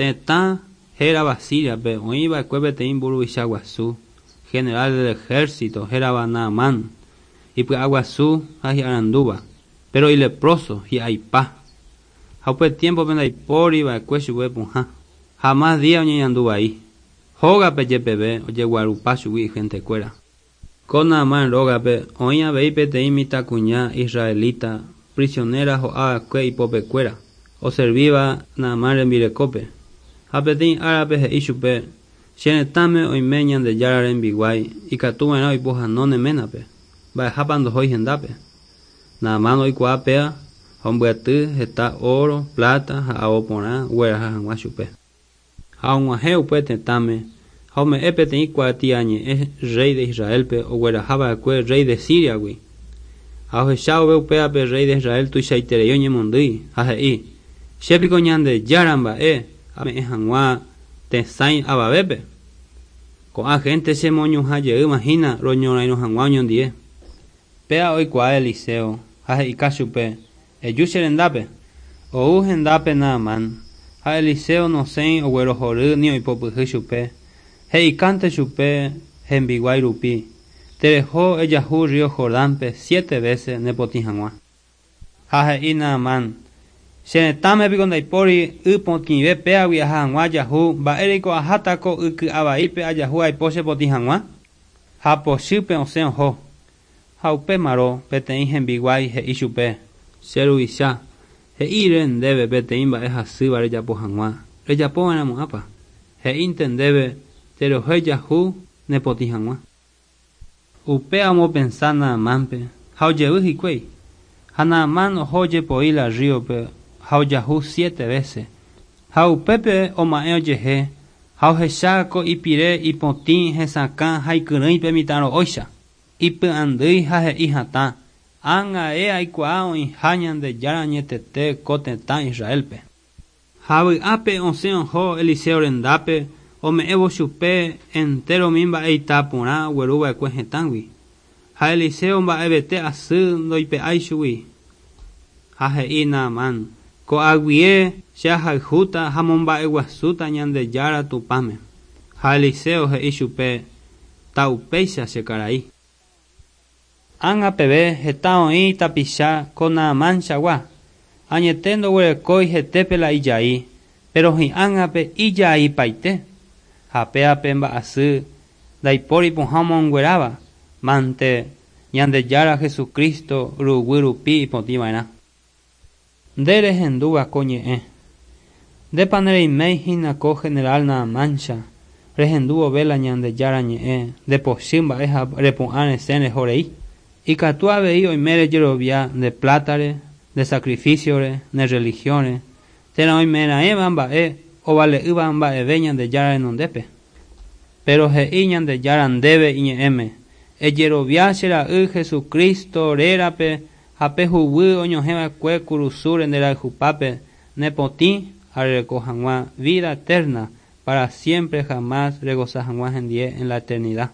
Tetã hérava Síriape oĩ va'ekue peteĩ mburuvicha guasu, general del ejército, hérava Naamán, ipy'aguasu ha hi'arandúva, péro ilepróso, hi'aipa. Ha upe tiémpope ndaipóri va'ekue chupe pohã, ha amás día oñeñandu vai. Hógape jepeve ojeguarupa chugui ihentekuéra. Ko Naamán rógape oĩ avei peteĩ mitãkuña israelita prisionéra ho'a va'ekue ipopekuéra, oservíva Naamán rembirekópe. Ha peteĩ árape he'i chupe, Che retãme oime Ñandejára rembiguái ikatuva'erã oipohano ne ménape, mba'ehápa ndohói hendápe. Naamán oikuaa péva ha ombyaty heta óro, pláta ha ao porã ogueraha hag̃ua chupe. Ha og̃uahẽ upe tetãme ha ome'ẽ peteĩ kuatiañe'ẽ rréi de Israélpe ogueraha va'ekue rréi de Síriagui. Ha ohecha vove upéva pe rréi de Israel tuichaiterei oñemondýi, ha he'i, Che piko Ñandejára mba'e ame'ẽ hag̃ua tesãi avavépe? Ko'ã hénte chemoñuhã jeýma hína roñorairõ hag̃ua oñondie. Péva oikuaa Eliseo, ha he'ika chupe, Eju che rendápe. Ou hendápe Naamán, ha Eliseo nosẽi oguerohory ni oipopyhy chupe, he'ikánte chupe hembiguái rupi, Tereho ejahu rrío Jordánpe siete vése nepotĩ hag̃ua. Ha he'i Naamán, Che retãme piko ndaipóri y potĩve péagui aha hag̃ua ajahu, mba'éreiko aháta ko y ky'a vaípe ajahu aipo chepotĩ hag̃ua? Ha pochýpe osẽ oho. Ha upémarõ peteĩ hembiguái he'i chupe, Che ruvicha, he'íre ndéve peteĩ mba'e hasýva rejapo hag̃ua, rejapo va'erãmo'ãpa? He'ínte ndéve, Tereho ejahu nepotĩ hag̃ua. Upéva omopensa Naamánpe, ha ojevy hikuái. Ha Naamán oho ojepoi la rríope ha ojahu siete vése. Ha upépe oma'ẽ ojehe ha ohecha ko ipire ipotĩ hesakã ha ikyrỹi pe mitã ro'óicha. Ipy'andýi ha he'i hatã, Ág̃ae aikuaa oĩha Ñandejára añetete ko tetã Israélpe. Ha vy'ápe osẽ oho Eliseo rendápe ome'ẽvo chupe entéro umi mba'eita porã ogueru va'ekue hetãgui. Ha Eliseo mba'evete asy ndoipe'ái chugui. Ha he'i Naamán, Ko'águie che ahayhúta ha momba'eguasúta Ñandejára Tupãme. Ha Eliseo he'i chupe, Ta'upéicha che karai. Ág̃a peve heta oĩ tapicha ko Naamán-chagua. Añete ndoguerekói hetépe la ijai, péro hi'ág̃ape ijaipaite. Ha péva pe mba'asy ndaipóri pohã omongueráva, mante Ñandejára Jesucristo ruguy rupi ipotĩva'erã. Nde rehendúva ko ñe'ẽ. Ndépa nereiméi hína ko general Naamáncha, rehendu vove la Ñandejára ñe'ẽ nde pochy mba'e ha repu'ã resẽ reho rei? Ikatu avei oime rejerovia nde plátare, nde sakrifísiore, ne rrelihiónre, térã oimeraẽva mba'e ovale'ỹva mba'eve Ñandejára renondépe. Péro he'i Ñandejára ndéve iñe'ẽme, Ejerovia che Ra'y Jesucristo rérape ha pe huguy oñohẽ va'ekue kurusúre nde rayhupápe ne potĩ ha rereko hag̃ua vida eterna para siempre jamás regoza hag̃ua hendie en la eternidad.